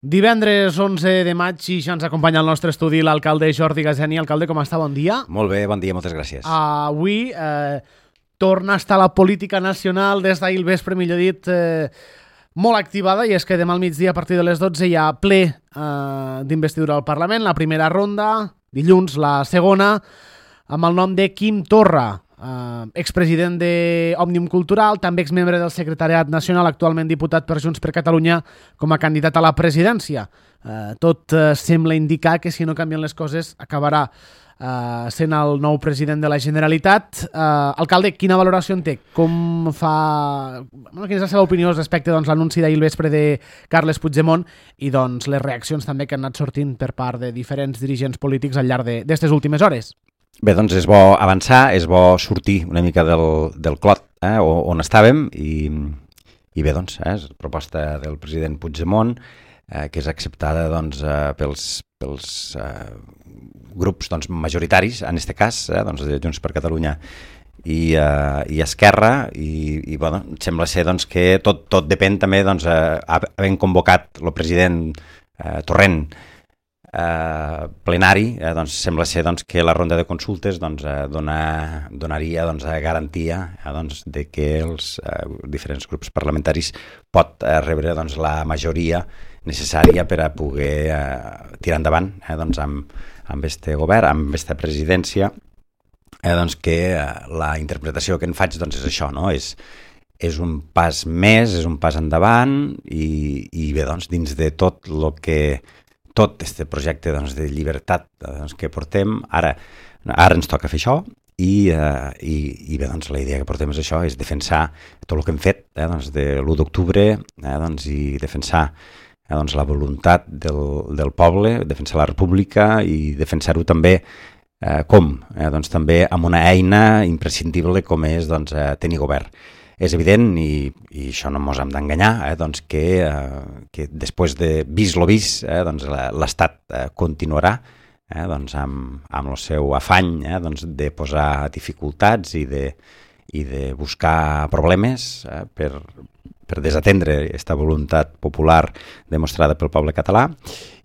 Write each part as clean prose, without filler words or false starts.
Divendres 11 de maig i ja ens acompanya al nostre estudi l'alcalde Jordi Gazeni. Alcalde, com està? Bon dia. Molt bé, bon dia, moltes gràcies. Avui torna a estar la política nacional des d'ahir al vespre, millor dit, molt activada, i és que demà al migdia a partir de les 12 hi ha ple d'investidura al Parlament, la primera ronda, dilluns la segona, amb el nom de Quim Torra, expresident d'Òmnium Cultural, també exmembre del Secretariat Nacional, actualment diputat per Junts per Catalunya com a candidat a la presidència. Tot sembla indicar que si no canvien les coses acabarà sent el nou president de la Generalitat. Alcalde, quina valoració en té? Quina és la seva opinió respecte a l'anunci d'ahir al vespre de Carles Puigdemont i les reaccions també que han anat sortint per part de diferents dirigents polítics al llarg d'aquestes últimes hores? Bé, doncs és bo avançar, és bo sortir una mica del clot on estàvem i bé, doncs, és proposta del president Puigdemont que és acceptada pels grups majoritaris, en aquest cas, de Junts per Catalunya i Esquerra, i bueno, sembla ser que tot depèn també, havent convocat el president Torrent plenari, sembla ser que la ronda de consultes donaria garantia de que els diferents grups parlamentaris pot rebre la majoria necessària per a poder tirar endavant amb este govern, amb aquesta presidència, que la interpretació que en faig és això, no? És un pas més, és un pas endavant i bé, dins de tot el que tot este projecte de llibertat que portem, ara ens toca fer això i bé, la idea que portem és això, és defensar tot el que hem fet de l'1 d'octubre i defensar la voluntat del poble, defensar la república i defensar-ho també també amb una eina imprescindible com és tenir govern. És evident, i això no ens hem d'enganyar, que després de vist lo vist, l'Estat continuarà amb el seu afany de posar dificultats i de buscar problemes per desatendre aquesta voluntat popular demostrada pel poble català,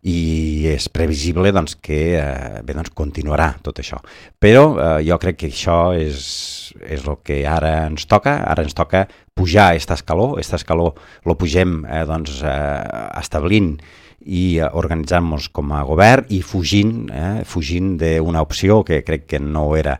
i és previsible que continuarà tot això. Però jo crec que això és el que ara ens toca. Ara ens toca pujar aquest escaló lo pugem establint i organitzant-nos com a govern i fugint d'una opció que crec que no era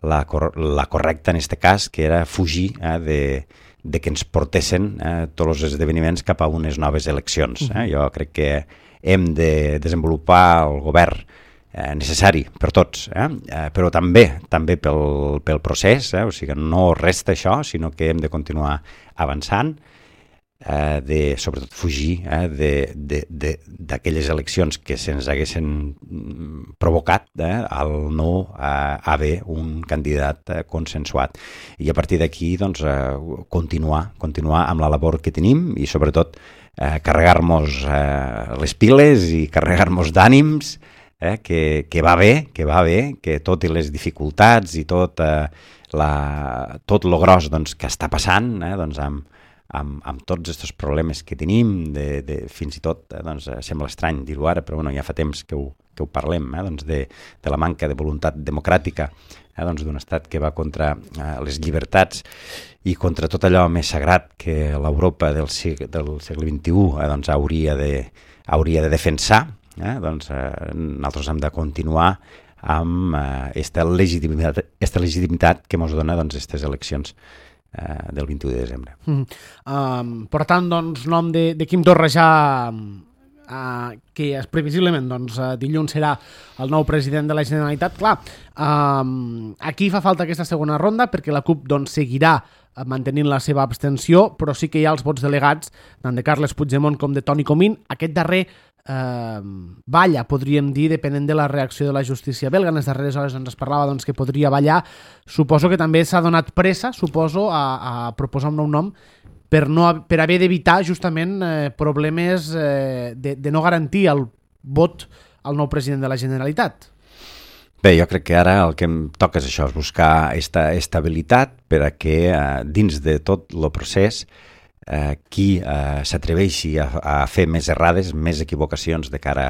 la correcta en aquest cas, que era fugir de que ens portessin tots els esdeveniments cap a unes noves eleccions. Jo crec que hem de desenvolupar el govern necessari per tots, però també pel procés, o sigui, no resta això, sinó que hem de continuar avançant, sobretot fugir d'aquelles eleccions que se'ns haguessin provocat al no haver un candidat consensuat. I a partir d'aquí continuar amb la labor que tenim i sobretot carregar-nos les piles i carregar-nos d'ànims, que va bé, que totes les dificultats i tot lo gros que està passant amb tots aquests problemes que tenim, fins i tot sembla estrany dir-ho ara, però ja fa temps que ho parlem, de la manca de voluntat democràtica d'un estat que va contra les llibertats i contra tot allò més sagrat que l'Europa del segle XXI hauria de defensar. Nosaltres hem de continuar amb aquesta legitimitat que ens dona aquestes eleccions del 21 de desembre. Per tant, nom de Quim Torra ja, que previsiblement dilluns serà el nou president de la Generalitat. Clar, aquí fa falta aquesta segona ronda perquè la CUP seguirà mantenint la seva abstenció, però sí que hi ha els vots delegats tant de Carles Puigdemont com de Toni Comín. Aquest darrer balla, podríem dir, depenent de la reacció de la justícia belga. En les darreres hores es parlava que podria ballar. Suposo que també s'ha donat pressa, a proposar un nou nom per haver d'evitar justament problemes de no garantir el vot al nou president de la Generalitat. Bé, jo crec que ara el que em toca és això, és buscar aquesta estabilitat per a que dins de tot el procés qui s'atreveixi a fer més errades, més equivocacions de cara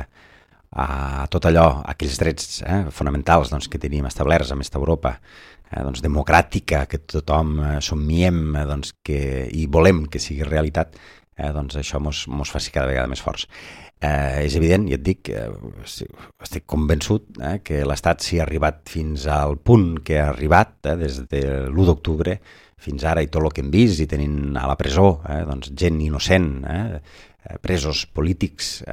a tot allò, aquells drets fonamentals doncs, que tenim establerts amb esta Europa doncs, democràtica, que tothom somiem doncs, i volem que sigui realitat, doncs això mos faci cada vegada més forts. És evident, ja et dic, estic convençut que l'Estat s'hi ha arribat fins al punt que ha arribat des de l'1 d'octubre fins ara i tot el que hem vist i tenint a la presó doncs, gent innocent, presos polítics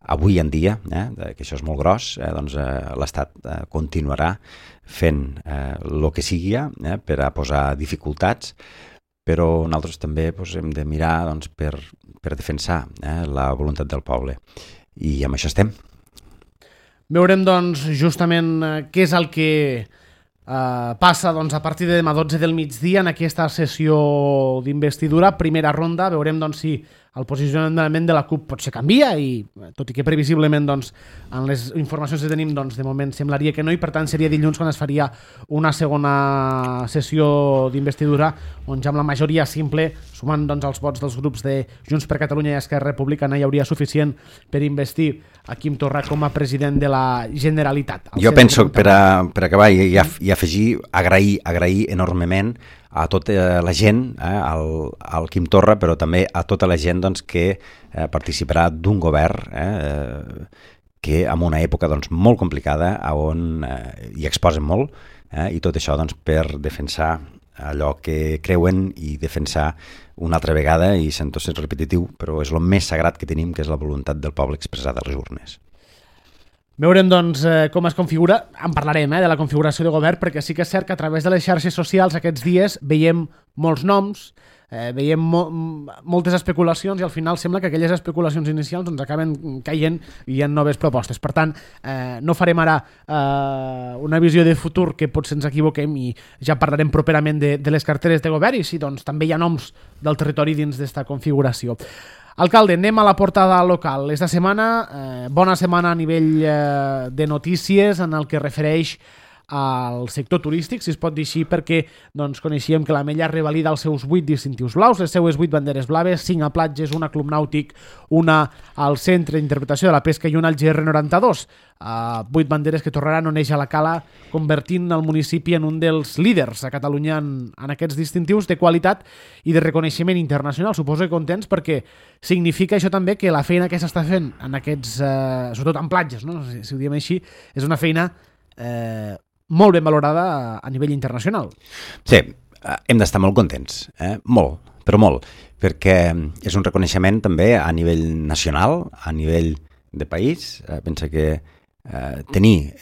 avui en dia, que això és molt gros, doncs l'Estat continuarà fent el que sigui per a posar dificultats, però nosaltres també hem de mirar doncs, per defensar la voluntat del poble. I amb això estem. Veurem doncs, justament què és el que passa doncs, a partir de demà 12 del migdia en aquesta sessió d'investidura, primera ronda. Veurem doncs, si el posicionament de la CUP potser canvia i tot i que previsiblement doncs, en les informacions que tenim doncs, de moment semblaria que no i per tant seria dilluns quan es faria una segona sessió d'investidura on ja amb la majoria simple, sumant doncs, els vots dels grups de Junts per Catalunya i Esquerra Republicana hi hauria suficient per investir a Quim Torra com a president de la Generalitat. Jo penso, per acabar i afegir, agrair enormement a tota la gent, al Quim Torra, però també a tota la gent doncs, que participarà d'un govern que en una època doncs, molt complicada on hi exposen molt i tot això doncs, per defensar allò que creuen i defensar una altra vegada, i sento ser repetitiu, però és el més sagrat que tenim, que és la voluntat del poble expressada a les urnes. Veurem doncs com es configura, en parlarem de la configuració de govern, perquè sí que és cert que a través de les xarxes socials aquests dies veiem molts noms, veiem moltes especulacions i al final sembla que aquelles especulacions inicials doncs, acaben caient i hi ha noves propostes. Per tant, no farem ara una visió de futur que potser ens equivoquem i ja parlarem properament de les carteres de govern i si doncs, també hi ha noms del territori dins d'esta configuració. Alcalde, anem a la portada local. Esta setmana, bona setmana a nivell de notícies en el que refereix al sector turístic, si es pot dir així, perquè doncs, coneixíem que l'Ametlla revalida els seus 8 distintius blaus, les seues 8 banderes blaves, 5 a platges, una a club nàutic, una al centre d'interpretació de la pesca i una al GR92. 8 banderes que tornaran on neix a la Cala, convertint el municipi en un dels líders a Catalunya en aquests distintius de qualitat i de reconeixement internacional. Suposo que contents perquè significa això també que la feina que s'està fent en aquests, sobretot en platges, no? Si ho diem així, és una feina molt ben valorada a nivell internacional. Sí, hem d'estar molt contents, molt, però molt, perquè és un reconeixement també a nivell nacional, a nivell de país. Pensa que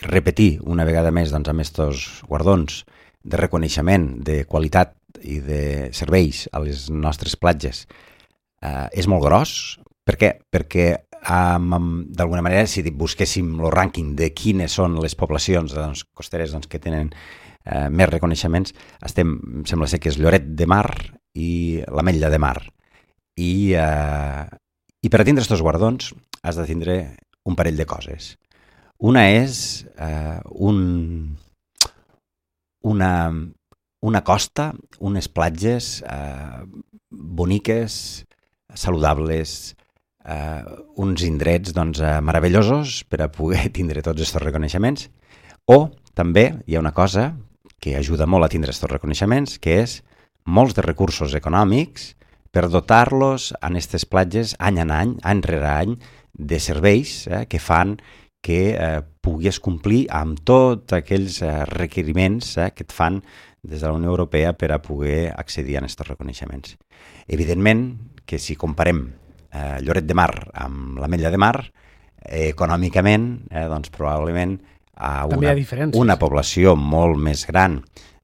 repetir una vegada més doncs, amb aquests guardons de reconeixement de qualitat i de serveis a les nostres platges és molt gros. Per què? Perquè d'alguna manera, si busquéssim el rànquing de quines són les poblacions doncs, costeres doncs, que tenen més reconeixements, sembla ser que és Lloret de Mar i l'Ametlla de Mar. I per a tindre aquests guardons has de tindre un parell de coses. Una és una costa, unes platges boniques, saludables, uns indrets doncs, meravellosos per a poder tindre tots aquests reconeixements. O també hi ha una cosa que ajuda molt a tindre aquests reconeixements, que és molts de recursos econòmics per dotar-los en aquestes platges any en any, any rere any, de serveis que fan que puguis complir amb tots aquells requeriments que et fan des de la Unió Europea per a poder accedir a aquests reconeixements. Evidentment que si comparem Lloret de Mar amb l'Ametlla de Mar, econòmicament, doncs probablement a una població molt més gran,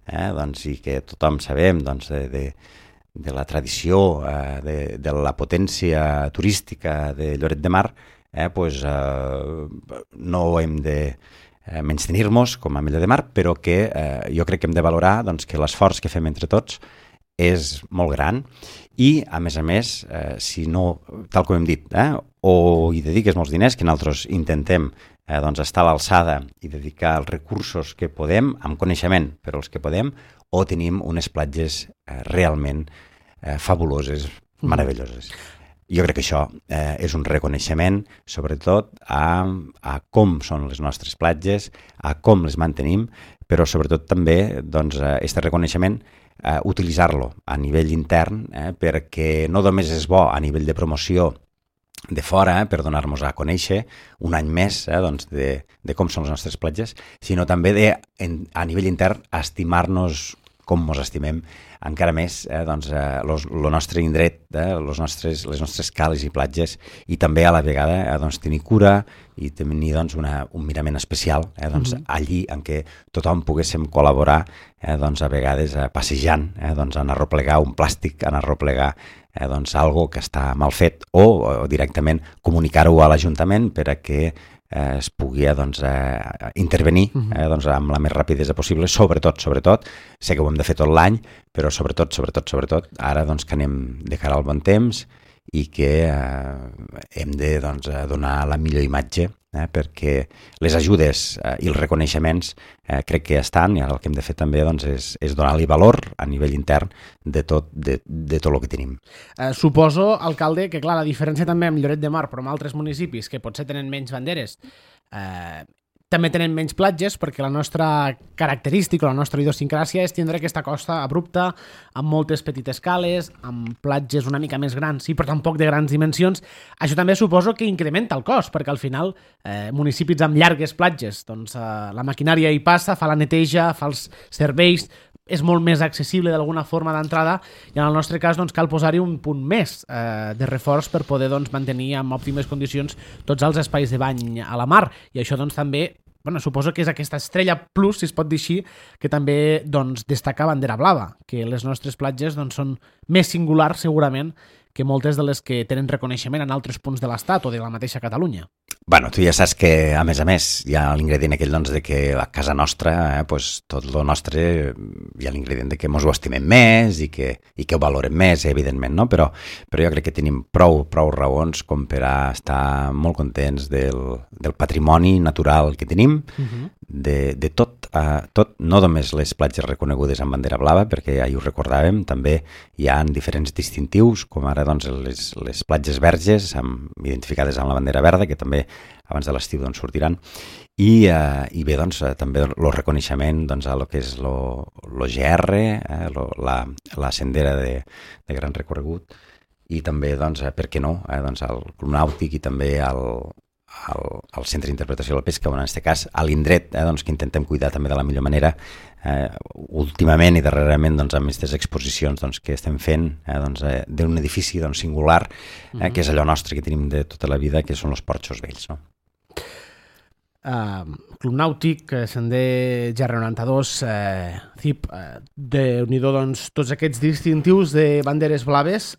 doncs, i que tothom sabem doncs, de la tradició, de la potència turística de Lloret de Mar, doncs, no hem de menystenir-nos com a Ametlla de Mar, però que jo crec que hem de valorar doncs, que l'esforç que fem entre tots és molt gran i, a més, si no, tal com hem dit, o hi dediques molts diners, que nosaltres intentem doncs, estar a l'alçada i dedicar els recursos que podem, amb coneixement, però els que podem, o tenim unes platges realment fabuloses, meravelloses. Jo crec que això és un reconeixement, sobretot, a com són les nostres platges, a com les mantenim, però sobretot també, doncs, aquest reconeixement, utilitzar-lo a nivell intern, perquè no només és bo a nivell de promoció de fora, per donar-nos a conèixer un any més doncs, de com són les nostres platges, sinó també a nivell intern estimar-nos com ens estimem encara més doncs, el nostre indret, les nostres cales i platges, i també a la vegada doncs, tenir cura i tenir doncs, un mirament especial doncs, allí en què tothom poguéssim col·laborar doncs, a vegades passejant, doncs, en arroplegar un plàstic, en arroplegar doncs, algo que està mal fet, o directament comunicar-ho a l'Ajuntament per a que es pugui doncs, intervenir doncs, amb la més rapidesa possible, sobretot, sé que ho hem de fer tot l'any, però sobretot, ara doncs, que anem de cara al bon temps i que hem de doncs, donar la millor imatge, perquè les ajudes i els reconeixements crec que estan, i ara el que hem de fer també doncs, és donar-li valor a nivell intern de tot el que tenim. Suposo, alcalde, que clar, la diferència també amb Lloret de Mar, però amb altres municipis que potser tenen menys banderes, també tenen menys platges, perquè la nostra característica, la nostra idiosincràsia és tindre aquesta costa abrupta, amb moltes petites cales, amb platges una mica més grans, sí, però tampoc de grans dimensions. Això també suposo que incrementa el cost, perquè al final municipis amb llargues platges, doncs la maquinària hi passa, fa la neteja, fa els serveis, és molt més accessible d'alguna forma d'entrada, i en el nostre cas doncs, cal posar-hi un punt més de reforç per poder doncs, mantenir en òptimes condicions tots els espais de bany a la mar, i això doncs, també suposo que és aquesta estrella plus, si es pot dir així, que també doncs, destaca bandera blava, que les nostres platges doncs, són més singulars segurament que moltes de les que tenen reconeixement en altres punts de l'Estat o de la mateixa Catalunya. Bueno, tu ja saps que, a més, hi ha l'ingredient aquell doncs, de que a casa nostra, pues, tot el nostre, hi ha l'ingredient de que ens ho estimem més i que ho valorem més, evidentment, no? Però jo crec que tenim prou raons com per a estar molt contents del patrimoni natural que tenim, de tot, no només les platges reconegudes amb bandera blava, perquè ja ho recordàvem, també hi ha diferents distintius, com ara doncs, les platges verges, identificades amb la bandera verda, que també abans de l'estiu doncs, sortiran, i bé, doncs, també el reconeixement doncs, a lo que és l'OGR, la sendera de gran recorregut, i també, doncs, per què no, doncs, el Club Nàutic i també el Centre d'Interpretació de la Pesca, en aquest cas, a l'indret, doncs, que intentem cuidar també de la millor manera, últimament i darrerament doncs, amb aquestes exposicions doncs, que estem fent doncs, d'un edifici doncs, singular, que és allò nostre que tenim de tota la vida, que són els porxos vells, no? Club Nàutic, Sender GR92, CIP, déu-n'hi-do, doncs, tots aquests distintius de banderes blaves.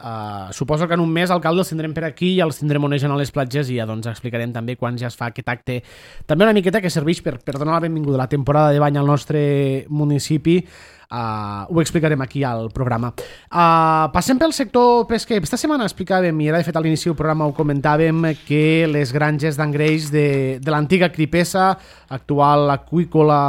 Suposo que en un mes, alcalde, els tindrem per aquí i els tindrem onejant a les platges, i ja doncs, explicarem també quan ja es fa aquest acte. També una miqueta que serveix per donar la benvinguda a la temporada de bany al nostre municipi. Ho explicarem aquí al programa. Passem pel sector pesquer. Esta setmana explicàvem, i era de fet a l'inici del programa ho comentàvem, que les granges d'engreix de l'antiga Cripesa, actual aqüícola,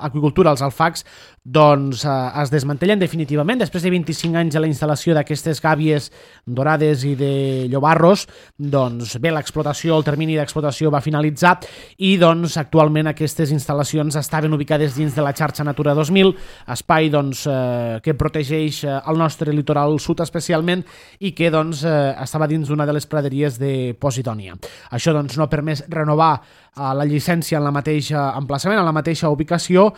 aqüicultura, els alfacs, doncs es desmantellen definitivament després de 25 anys de la instal·lació d'aquestes gàbies dorades i de llobarros. Doncs bé, l'explotació, el termini d'explotació va finalitzar, i doncs actualment aquestes instal·lacions estaven ubicades dins de la xarxa Natura 2000, espai doncs, que protegeix el nostre litoral sud especialment, i que doncs, estava dins d'una de les praderies de Posidònia. Això doncs, no ha permès renovar la llicència en la mateixa emplaçament, en la mateixa ubicació,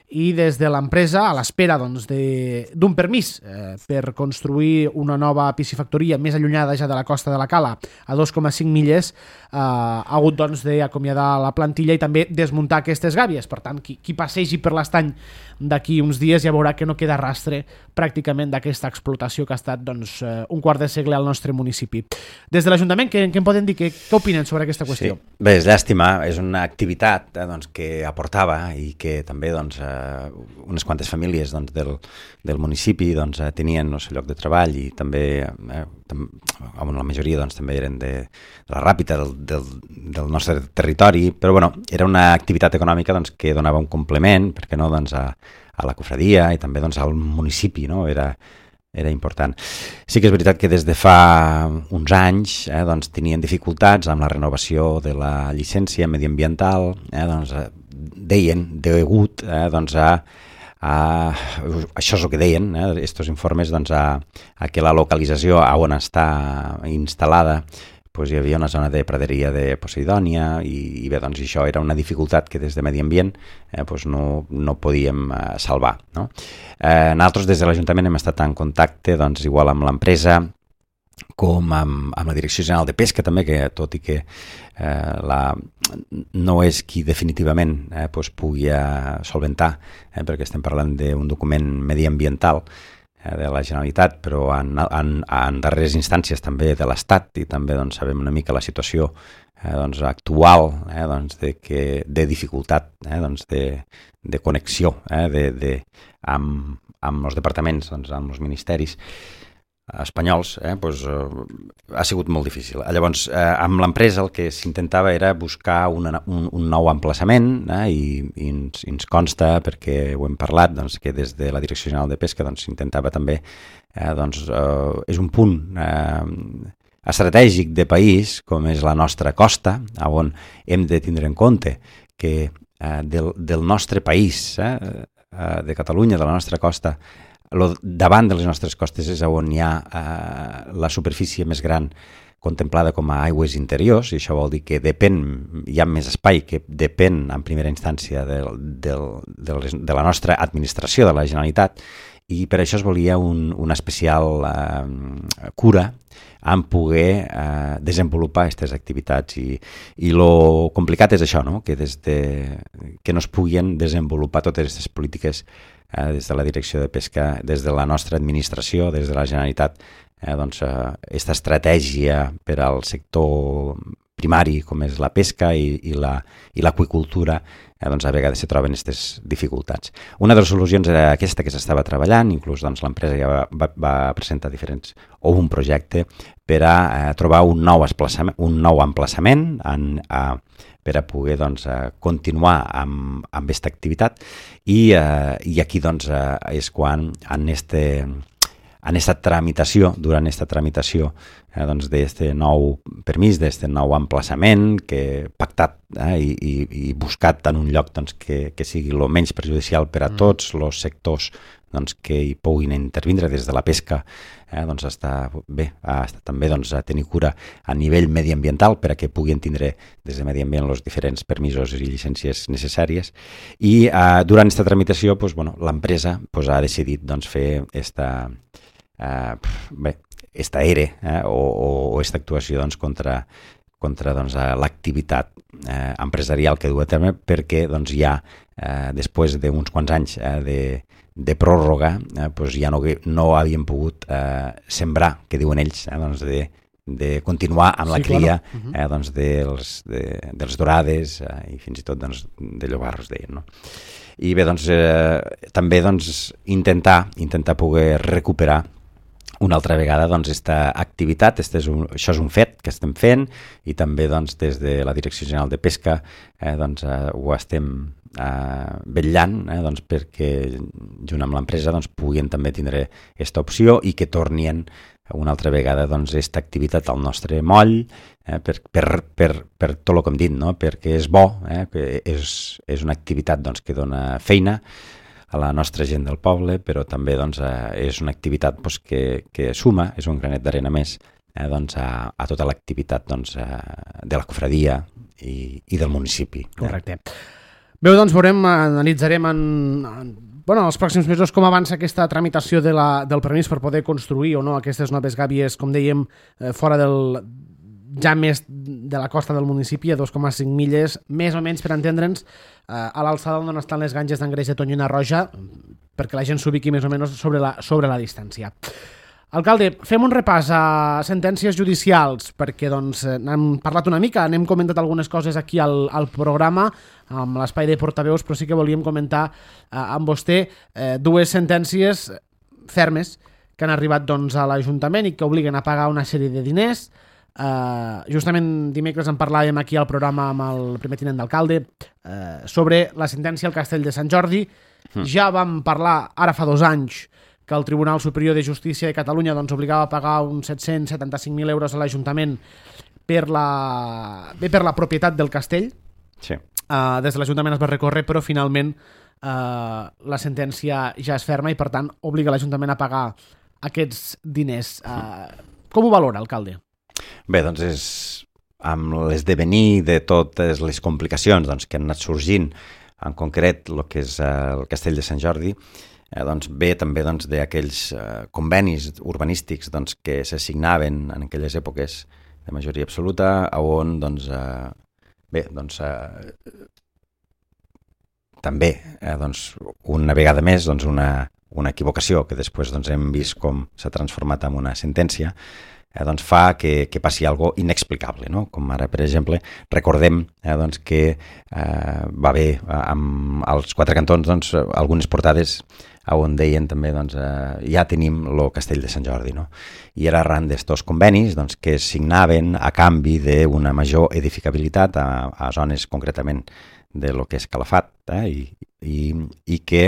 i des de l'empresa, a l'espera doncs, d'un permís per construir una nova piscifactoria més allunyada ja de la costa de la Cala, a 2,5 milles, ha hagut doncs, d'acomiadar la plantilla i també desmuntar aquestes gàbies. Per tant, qui passegi per l'estany d'aquí uns dies ja veurà que no queda rastre pràcticament d'aquesta explotació que ha estat doncs, un quart de segle al nostre municipi. Des de l'Ajuntament, què en poden dir? Què opinen sobre aquesta qüestió? Sí. Bé, és llàstima, és una activitat doncs, que aportava i que també doncs, unes quantes famílies doncs, del municipi doncs, tenien el seu lloc de treball, i també la majoria doncs, també eren de la Ràpita del nostre territori, però bueno, era una activitat econòmica doncs, que donava un complement, perquè no, doncs, a la cofradia i també doncs, al municipi, no? Era era important. Sí que és veritat que des de fa uns anys doncs tenien dificultats amb la renovació de la llicència mediambiental, doncs deien, degut doncs això és el que deien, estos informes, doncs a que la localització on està instal·lada pues hi havia una zona de praderia de Poseidònia i bé, doncs això era una dificultat que des de Medi Ambient pues no podíem salvar. No? Nosaltres des de l'Ajuntament hem estat en contacte doncs, igual amb l'empresa com amb la Direcció General de Pesca també, que tot i que no és qui definitivament pues pugui solventar, perquè estem parlant d'un document mediambiental de la Generalitat, però en darreres instàncies també de l'Estat i també doncs, sabem una mica la situació doncs, actual doncs, de dificultat doncs, de connexió amb els departaments, doncs, amb els ministeris espanyols, doncs, ha sigut molt difícil. Llavors, amb l'empresa el que s'intentava era buscar un nou emplaçament i ens consta, perquè ho hem parlat, doncs, que des de la Direcció General de Pesca s'intentava també, doncs, és un punt estratègic de país, com és la nostra costa, on hem de tindre en compte que del nostre país, de Catalunya, de la nostra costa, davant de les nostres costes és on hi ha la superfície més gran contemplada com a aigües interiors, i això vol dir que hi ha més espai que depèn en primera instància de la nostra administració, de la Generalitat, i per això es volia una especial cura en poder desenvolupar aquestes activitats i lo complicat és això, no? Que que no es puguin desenvolupar totes aquestes polítiques des de la Direcció de Pesca, des de la nostra administració, des de la Generalitat, doncs aquesta estratègia per al sector primari com és la pesca i l'aqüicultura, doncs a vegades se troben aquestes dificultats. Una de les solucions era aquesta que s'estava treballant, inclús doncs, l'empresa ja va presentar un projecte per a trobar un nou emplaçament per a poder doncs, continuar amb aquesta activitat i aquí doncs, és quan durant aquesta tramitació doncs, d'aquest nou permís, d'aquest nou emplaçament pactat i buscat en un lloc doncs, que sigui el menys perjudicial per a tots els sectors doncs, que hi puguin intervindre des de la pesca, doncs està bé, també doncs, a tenir cura a nivell mediambiental per a que puguin tindre des de Medi Ambient els diferents permisos i llicències necessàries. I durant aquesta tramitació doncs, l'empresa doncs, ha decidit doncs, fer esta ERE o esta actuació doncs, contra doncs, l'activitat empresarial que du a terme perquè doncs, ja després d'uns quants anys de pròrroga doncs, ja no havien pogut sembrar, que diuen ells, doncs, de continuar amb la cria doncs, dels dorades i fins i tot doncs, de llobarros, deien, no? I bé, doncs, també doncs, intentar poder recuperar una altra vegada doncs, aquesta activitat, això és un fet que estem fent i també doncs, des de la Direcció General de Pesca doncs, ho estem vetllant doncs, perquè junt amb l'empresa doncs, puguin també tindre aquesta opció i que tornin una altra vegada doncs, aquesta activitat al nostre moll per tot el que hem dit, no? Perquè és bo, que és una activitat doncs, que dona feina a la nostra gent del poble, però també doncs, és una activitat doncs, que suma, és un granet d'arena més doncs, a tota l'activitat doncs, de la cofradia i del municipi. Correcte. Bé, doncs analitzarem en els pròxims mesos com avança aquesta tramitació del permís per poder construir o no aquestes noves gàbies, com dèiem, fora ja més de la costa del municipi, a 2,5 milles, més o menys per entendre'ns, a l'alçada on estan les granges d'Angreix de Tonyina Roja, perquè la gent s'ubiqui més o menys sobre la distància. Alcalde, fem un repàs a sentències judicials, perquè doncs, n'hem parlat una mica, n'hem comentat algunes coses aquí al programa, amb l'espai de portaveus, però sí que volíem comentar amb vostè dues sentències fermes que han arribat doncs, a l'Ajuntament i que obliguen a pagar una sèrie de diners. Justament dimecres en parlàvem aquí al programa amb el primer tinent d'alcalde sobre la sentència al Castell de Sant Jordi. Ja vam parlar ara fa 2 anys que el Tribunal Superior de Justícia de Catalunya doncs, obligava a pagar uns 775.000 euros a l'Ajuntament per la propietat del castell. Sí. Des de l'Ajuntament es va recórrer, però finalment la sentència ja és ferma i, per tant, obliga l'Ajuntament a pagar aquests diners. Com ho valora, alcalde? Bé, doncs és amb l'esdevenir de totes les complicacions doncs, que han anat sorgint, en concret el que és el Castell de Sant Jordi, doncs ve també doncs, d'aquells convenis urbanístics doncs, que se signaven en aquelles èpoques de majoria absoluta, on doncs, també doncs, una vegada més doncs, una equivocació que després doncs, hem vist com s'ha transformat en una sentència, doncs fa que passi algo inexplicable, no? Com ara, per exemple, recordem doncs, que va haver amb els quatre cantons doncs, algunes portades on deien també doncs, ja tenim el Castell de Sant Jordi, no? I era arran d'estos convenis doncs, que es signaven a canvi d'una major edificabilitat a zones concretament de lo que és Calafat, i que,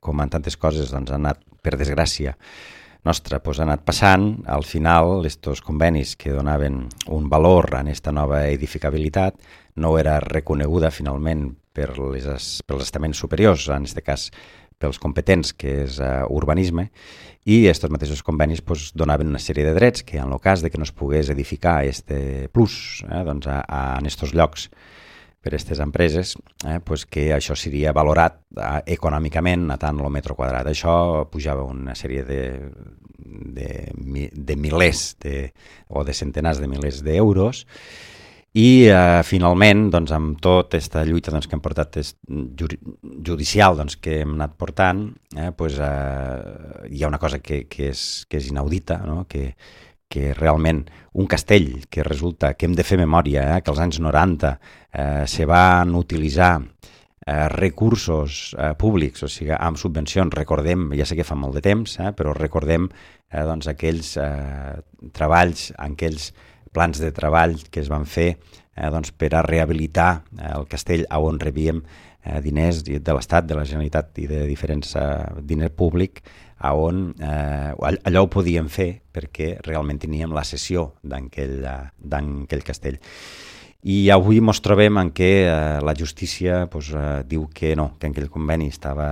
com en tantes coses doncs, han anat, per desgràcia nostra, doncs, han anat passant, al final, estos convenis que donaven un valor a aquesta nova edificabilitat no era reconeguda finalment per els estaments superiors, en aquest cas pels competents, que és urbanisme, i aquests mateixos convenis doncs, donaven una sèrie de drets que en el cas de que no es pogués edificar este plus doncs, en aquests llocs per a aquestes empreses, doncs que això seria valorat econòmicament a tant el metre quadrat. Això pujava una sèrie de milers o de centenars de milers d'euros. I finalment, doncs, amb tota aquesta lluita doncs, que hem portat judicial doncs, que hem anat portant, doncs, hi ha una cosa que és inaudita, no? Que realment un castell que resulta que hem de fer memòria, que als anys 90 se van utilitzar recursos públics, o sigui, amb subvencions, recordem, ja sé que fa molt de temps, però recordem doncs, aquells treballs, aquells plans de treball que es van fer doncs, per a rehabilitar el castell on rebíem diners de l'Estat, de la Generalitat i de diferents diners públic, on allò ho podíem fer perquè realment teníem la cessió d'aquell castell. I avui ens trobem en què la justícia doncs, diu que no, que aquell conveni estava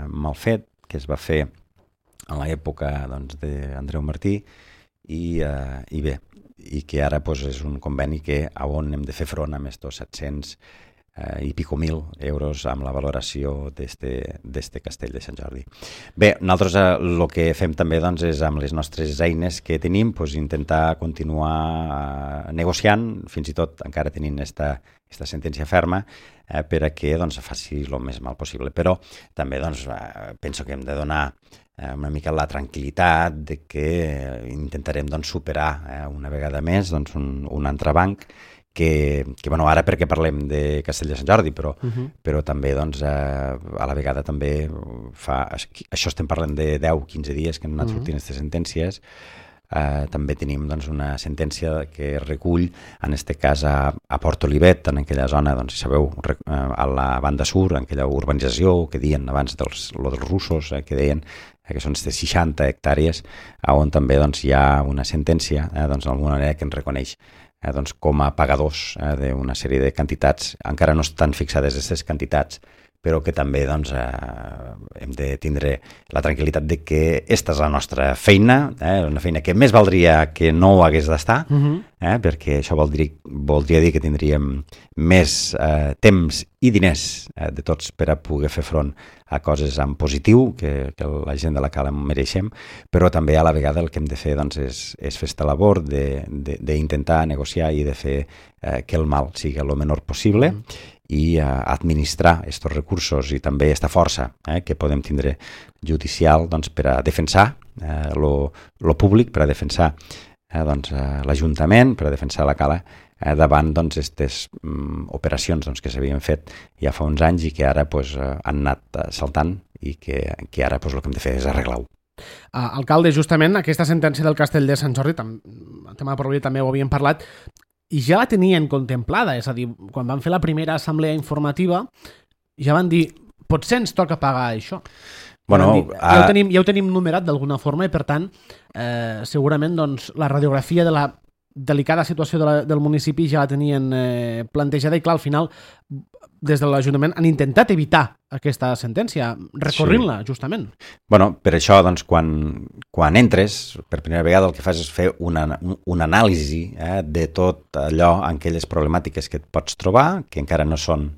mal fet, que es va fer en l'època doncs, d'Andreu Martí i bé, i que ara doncs, és un conveni que on hem de fer front amb estos 700 i pico mil euros amb la valoració d'este castell de Sant Jordi. Bé, nosaltres el que fem també doncs, és amb les nostres eines que tenim doncs, intentar continuar negociant, fins i tot encara tenint esta sentència ferma, per a que doncs, faci el més mal possible. Però també doncs, penso que hem de donar una mica la tranquil·litat de que intentarem doncs, superar una vegada més doncs, un entrebanc que bueno, ara perquè parlem de Castell de Sant Jordi, però també doncs, a la vegada també això estem parlant de 10-15 dies que han anat sortint aquestes sentències. També tenim doncs, una sentència que recull, en aquest cas a Port Olivet, en aquella zona, doncs, si sabeu, a la banda sur, en aquella urbanització que deien abans dels russos, que deien que són 60 hectàrees, on també doncs, hi ha una sentència d'alguna manera que ens reconeix doncs, com a pagadors d'una sèrie de quantitats. Encara no estan fixades aquestes quantitats, però que també doncs, hem de tindre la tranquil·litat de que aquesta és la nostra feina, una feina que més valdria que no ho hagués d'estar, perquè això voldria dir que tindríem més temps i diners de tots per a poder fer front a coses en positiu, que la gent de la Cala mereixem, però també a la vegada el que hem de fer doncs, és fer aquesta labor d'intentar negociar i de fer que el mal sigui el menor possible, i administrar aquests recursos i també aquesta força que podem tindre judicial doncs, per a defensar lo públic, per a defensar doncs, l'Ajuntament, per a defensar la Cala davant aquestes operacions doncs, que s'havien fet ja fa uns anys i que ara doncs, han anat saltant i que ara doncs, el que hem de fer és arreglar-ho. Alcalde, justament aquesta sentència del Castell de Sant Jordi, el tema de Port Olivet també ho havíem parlat, i ja la tenien contemplada, és a dir, quan van fer la primera assemblea informativa ja van dir, potser ens toca pagar això. Bueno, ja ho tenim numerat d'alguna forma i, per tant, segurament doncs, la radiografia de la delicada situació del municipi ja la tenien plantejada i, clar, al final, des de l'Ajuntament han intentat evitar aquesta sentència, recorrint-la, justament. Bueno, per això, doncs, quan entres, per primera vegada el que fas és fer una anàlisi de tot allò, en aquelles problemàtiques que et pots trobar, que encara no són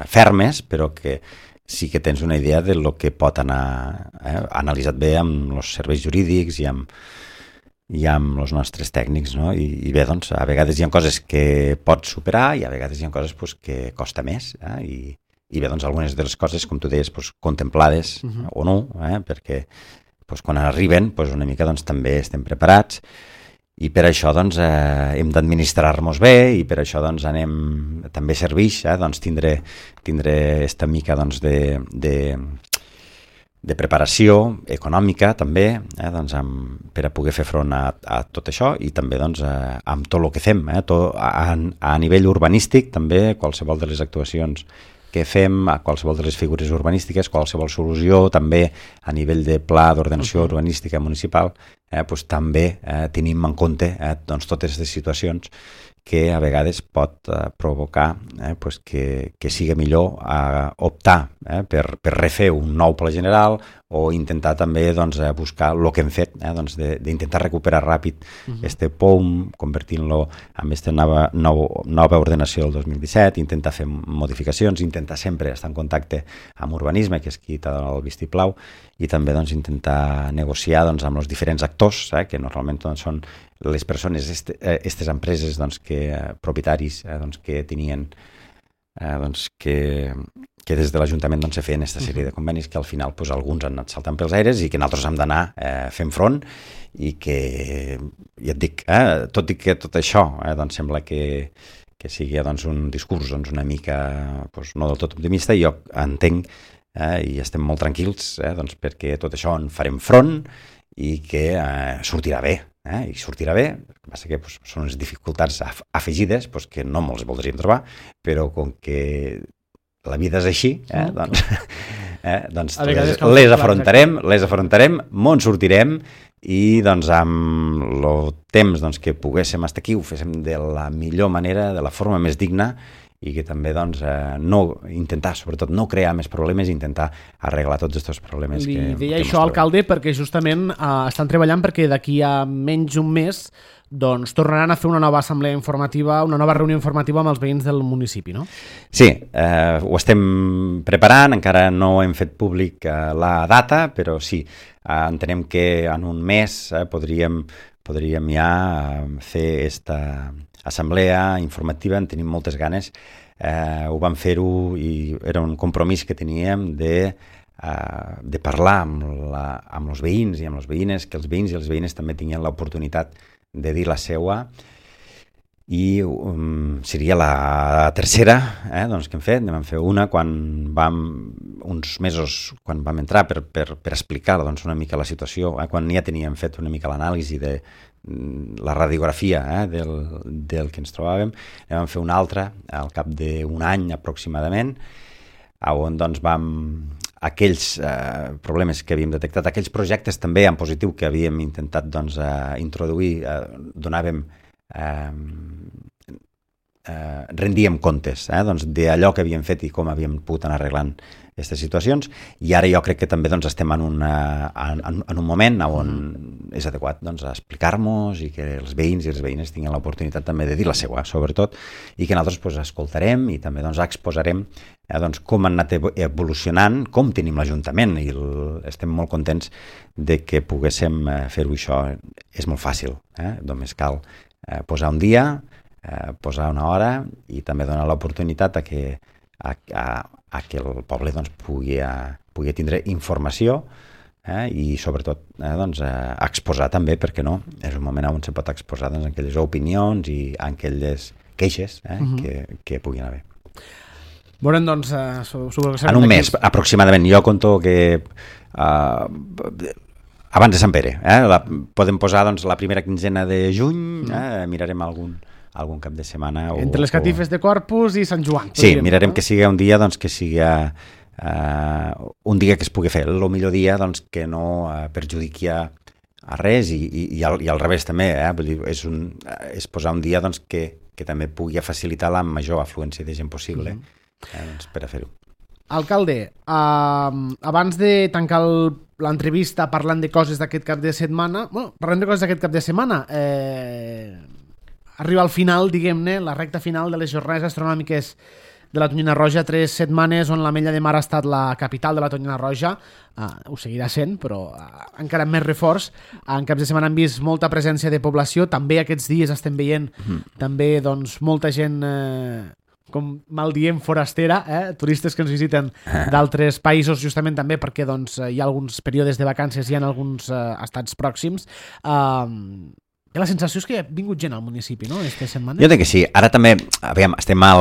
fermes, però que sí que tens una idea de lo que pot anar analitzat bé amb els serveis jurídics i amb els nostres tècnics, no? I bé, doncs, a vegades hi ha coses que pots superar i a vegades hi ha coses pues, que costa més, i bé, doncs, algunes de les coses, com tu deies, pues, contemplades o no, perquè pues, quan arriben pues, una mica doncs, també estem preparats i per això doncs, hem d'administrar-nos bé i per això doncs, també serveix doncs, tindre esta mica doncs, de preparació econòmica també, doncs, per a poder fer front a tot això i també doncs, amb tot el que fem, a nivell urbanístic també, qualsevol de les actuacions que fem, a qualsevol de les figures urbanístiques, qualsevol solució, també a nivell de pla d'ordenació urbanística municipal, doncs, també tenim en compte doncs, totes les situacions que a vegades pot provocar pues que sigui millor optar per refer un nou pla general o intentar també doncs, buscar el que hem fet, doncs, d'intentar recuperar ràpid este POUM, convertint-lo en aquesta nova ordenació del 2017, intentar fer modificacions, intentar sempre estar en contacte amb urbanisme, que és qui t'ha donat el vistiplau, i també doncs, intentar negociar doncs, amb els diferents actors, que normalment doncs, són les persones, aquestes empreses doncs, propietaris doncs, que tenien doncs, que des de l'Ajuntament doncs, se feien aquesta sèrie de convenis que al final doncs, alguns han anat saltant pels aires i que nosaltres hem d'anar fent front i que, ja et dic, tot i que tot això doncs, sembla que sigui doncs, un discurs doncs, una mica doncs, no del tot optimista, jo entenc i estem molt tranquils doncs, perquè tot això en farem front i que sortirà bé. I sortirà bé, el que passa que doncs, són unes dificultats afegides doncs, que no molts voldríem trobar, però com que la vida és així, doncs les afrontarem, mos sortirem i doncs, amb el temps doncs, que poguéssim estar aquí ho féssim de la millor manera, de la forma més digna i que també doncs, intentar, sobretot, no crear més problemes i intentar arreglar tots aquests problemes que deia això, alcalde, perquè justament estan treballant perquè d'aquí a menys un mes doncs tornaran a fer una nova assemblea informativa, una nova reunió informativa amb els veïns del municipi, no? Sí, ho estem preparant, encara no hem fet públic la data, però sí, entenem que en un mes podríem ja fer aquesta assemblea informativa, en tenim moltes ganes, ho vam fer-ho i era un compromís que teníem de parlar amb els veïns i amb les veïnes, que els veïns i les veïnes també tinguin l'oportunitat de dir la seua i seria la tercera doncs, que hem fet. Vam fer una uns mesos quan vam entrar per explicar doncs, una mica la situació, quan ja teníem fet una mica l'anàlisi de la radiografia del que ens trobàvem. Vam fer una altra al cap d'un any aproximadament, on doncs, aquells problemes que havíem detectat, aquells projectes també en positiu que havíem intentat doncs, introduir, rendíem comptes doncs, d'allò que havíem fet i com havíem pogut anar arreglant aquestes situacions, i ara jo crec que també doncs, estem en un moment on és adequat doncs, explicar-nos i que els veïns i les veïnes tinguin l'oportunitat també de dir la seva, sobretot, i que nosaltres doncs, escoltarem i també doncs, exposarem doncs, com han anat evolucionant, com tenim l'Ajuntament, i estem molt contents de que poguéssim fer-ho. Això és molt fàcil, només cal posar un dia, posar una hora i també donar l'oportunitat a que el poble doncs, pugui tindre informació i sobretot doncs, exposar també, perquè no, és un moment on se pot exposar doncs, aquelles opinions i aquelles queixes que puguin haver. Veurem, doncs, en un mes, aproximadament. Jo conto que abans de Sant Pere. Podem posar doncs, la primera quinzena de juny, mirarem algun cap de setmana. Entre les catifes de Corpus i Sant Joan. Sí, mirarem que sigui un dia doncs, que sigui un dia que es pugui fer el millor dia doncs, que no perjudiqui a res i al revés també, vull dir, és posar un dia doncs, que també pugui facilitar la major afluència de gent possible doncs, per a fer-ho. Alcalde, abans de tancar l'entrevista parlant de coses d'aquest cap de setmana, arriba al final, diguem-ne, la recta final de les jornades astronòmiques de la Tonyina Roja, 3 setmanes on l'Ametlla de Mar ha estat la capital de la Tonyina Roja, ho seguirà sent, però encara amb més reforç. En caps de setmana hem vist molta presència de població, també aquests dies estem veient també doncs, molta gent, com mal diem, forastera, turistes que ens visiten d'altres països, justament també perquè doncs, hi ha alguns períodes de vacances i en alguns estats pròxims. La sensació és que ha vingut gent al municipi, no?, aquesta setmana. Jo crec que sí. Ara també, aviam, estem a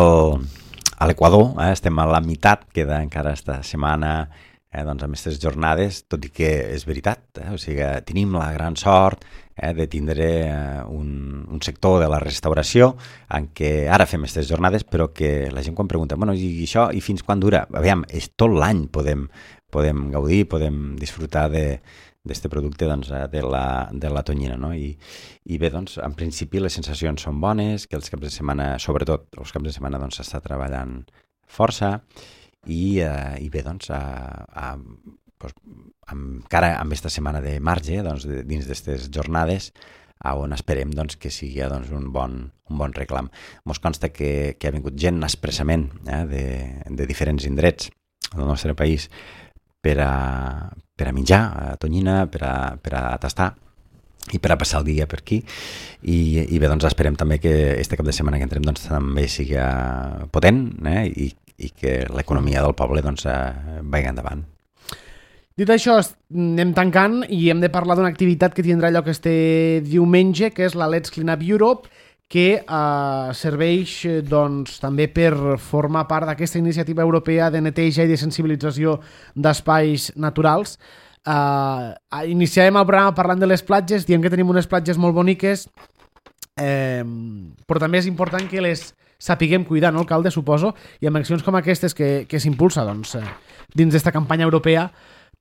l'Equador, estem a la meitat, queda encara esta setmana doncs, amb aquestes jornades, tot i que és veritat, o sigui, tenim la gran sort de tindre un sector de la restauració en què ara fem aquestes jornades, però que la gent quan pregunta, bueno, i això, i fins quan dura? Aviam, és tot l'any podem gaudir, podem disfrutar d'aquest producte doncs, de la tonyina, no? I bé, doncs, en principi les sensacions són bones, que els caps de setmana, sobretot els caps de setmana, doncs s'està treballant força i bé, doncs, encara amb aquesta setmana de marge, doncs, dins d'aquestes jornades, on esperem doncs, que sigui doncs, un bon reclam. Mos consta que ha vingut gent expressament de diferents indrets del nostre país per a menjar a tonyina, per a tastar i per a passar el dia per aquí i bé, doncs esperem també que este cap de setmana que entrem doncs, també sigui potent i que l'economia del poble doncs, vagi endavant. Dit això, anem tancant i hem de parlar d'una activitat que tindrà lloc este diumenge, que és la Let's Clean Up Europe, que serveix doncs, també per formar part d'aquesta iniciativa europea de neteja i de sensibilització d'espais naturals. Iniciarem el programa parlant de les platges, diem que tenim unes platges molt boniques, però també és important que les sapiguem cuidar, no, alcalde, suposo, i amb accions com aquestes que s'impulsa doncs, dins d'esta campanya europea,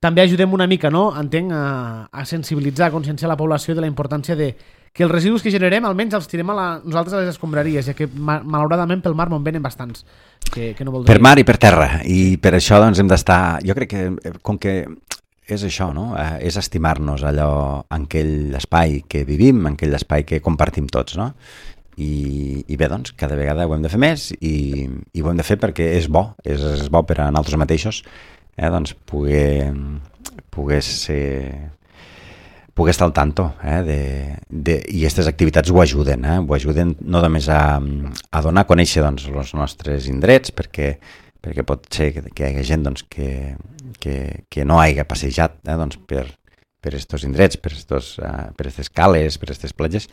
també ajudem una mica, no? Entenc, a sensibilitzar, a conscienciar la població de la importància de que els residus que generem almenys els tirem nosaltres a les escombraries, ja que malauradament pel mar me'n venen bastants que no voldria. Per mar i per terra, i per això doncs, hem d'estar, jo crec que com que és això, no? És estimar-nos allò en aquell espai que vivim, en aquell espai que compartim tots, no? I bé, doncs, cada vegada ho hem de fer més i ho hem de fer perquè és bo per a nosaltres mateixos doncs poder estar al tanto i aquestes activitats ho ajuden no només a donar a conèixer doncs, els nostres indrets perquè pot ser que hi hagi gent doncs, que no hagi passejat doncs, per aquests indrets, per aquestes cales, per aquestes platges,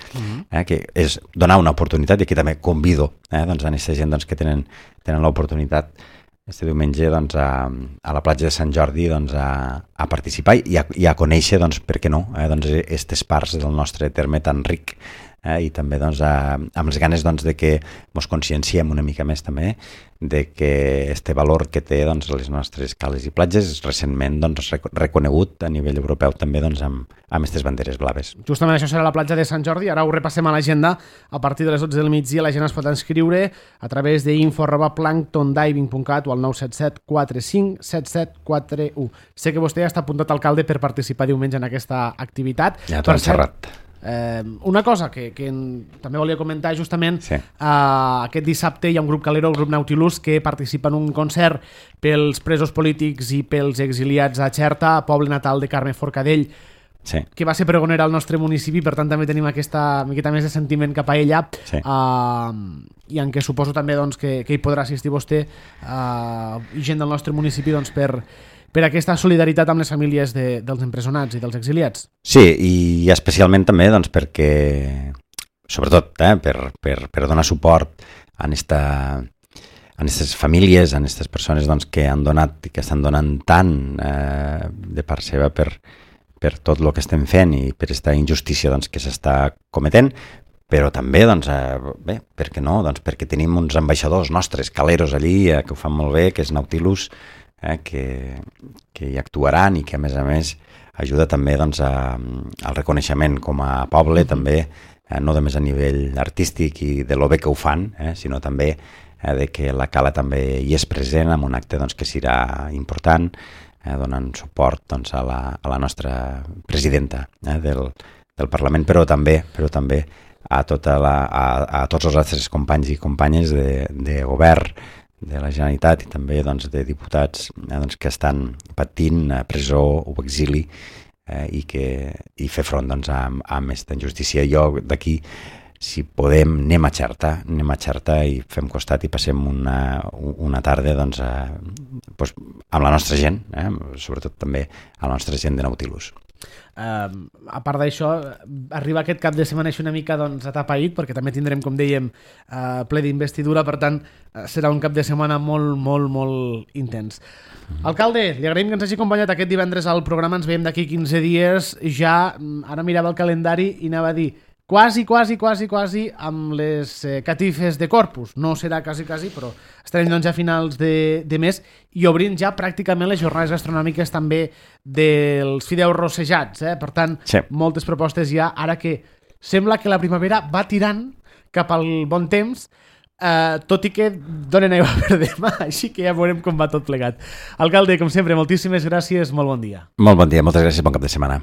que és donar una oportunitat i aquí també convido doncs, a aquesta gent doncs, que tenen l'oportunitat este diumenge doncs, a la platja de Sant Jordi doncs, a participar i a conèixer, doncs, per què no, doncs, aquestes parts del nostre terme tan ric i també doncs, amb les ganes doncs, de que ens conscienciem una mica més també de que este valor que té doncs, les nostres cales i platges és recentment doncs, reconegut a nivell europeu també doncs, amb aquestes banderes blaves. Justament això serà la platja de Sant Jordi, ara ho repassem a l'agenda, a partir de les 12 del migdia la gent es pot inscriure a través d'info@planktondiving.cat o al 977 45 77 41. Sé que vostè ja està apuntat, alcalde, per participar diumenge en aquesta activitat. Ja t'ho he encerrat. Una cosa que també volia comentar justament, sí. Aquest dissabte hi ha un grup calero, el grup Nautilus, que participa en un concert pels presos polítics i pels exiliats a Xerta, poble natal de Carme Forcadell, sí. que va ser pregonera al nostre municipi, per tant també tenim aquesta miqueta més de sentiment cap a ella, sí. I en què suposo també doncs, que hi podrà assistir vostè i gent del nostre municipi doncs, per aquesta solidaritat amb les famílies dels empresonats i dels exiliats. Sí, i especialment també doncs, perquè, sobretot, per donar suport a aquestes famílies, a aquestes persones doncs, que han donat i que estan donant tant de part seva per tot el que estem fent i per aquesta injustícia doncs, que s'està cometent, però també, doncs, bé, per què no? Doncs perquè tenim uns ambaixadors nostres, caleros allí, que ho fan molt bé, que és Nautilus, que hi actuaran i que, a més, ajuda també doncs, al reconeixement com a poble, també, no només a nivell artístic i de lo bé que ho fan, sinó també de que la Cala també hi és present en un acte doncs, que serà important, donant suport doncs, a la nostra presidenta del Parlament, però també a tots els altres companys i companyes de govern, de la Generalitat i també doncs, de diputats doncs, que estan patint presó o exili i fer front doncs, a aquesta injustícia. Jo d'aquí, si podem, anem a Xerta i fem costat i passem una tarda doncs, amb la nostra gent, sobretot també a la nostra gent de Nautilus. A part d'això, arriba aquest cap de setmana així una mica doncs, atapeït, perquè també tindrem, com dèiem, ple d'investidura, per tant serà un cap de setmana molt, molt, molt intens. Alcalde, li agraïm que ens hagi acompanyat aquest divendres al programa, ens veiem d'aquí 15 dies, ja ara mirava el calendari i anava a dir quasi amb les catifes de Corpus. No serà quasi, però estarem doncs a finals de mes i obrint ja pràcticament les jornades gastronòmiques també dels fideus rossejats. Per tant, sí, moltes propostes ja, ara que sembla que la primavera va tirant cap al bon temps, tot i que donen aigua per demà, així que ja veurem com va tot plegat. Alcalde, com sempre, moltíssimes gràcies, molt bon dia. Molt bon dia, moltes gràcies, bon cap de setmana.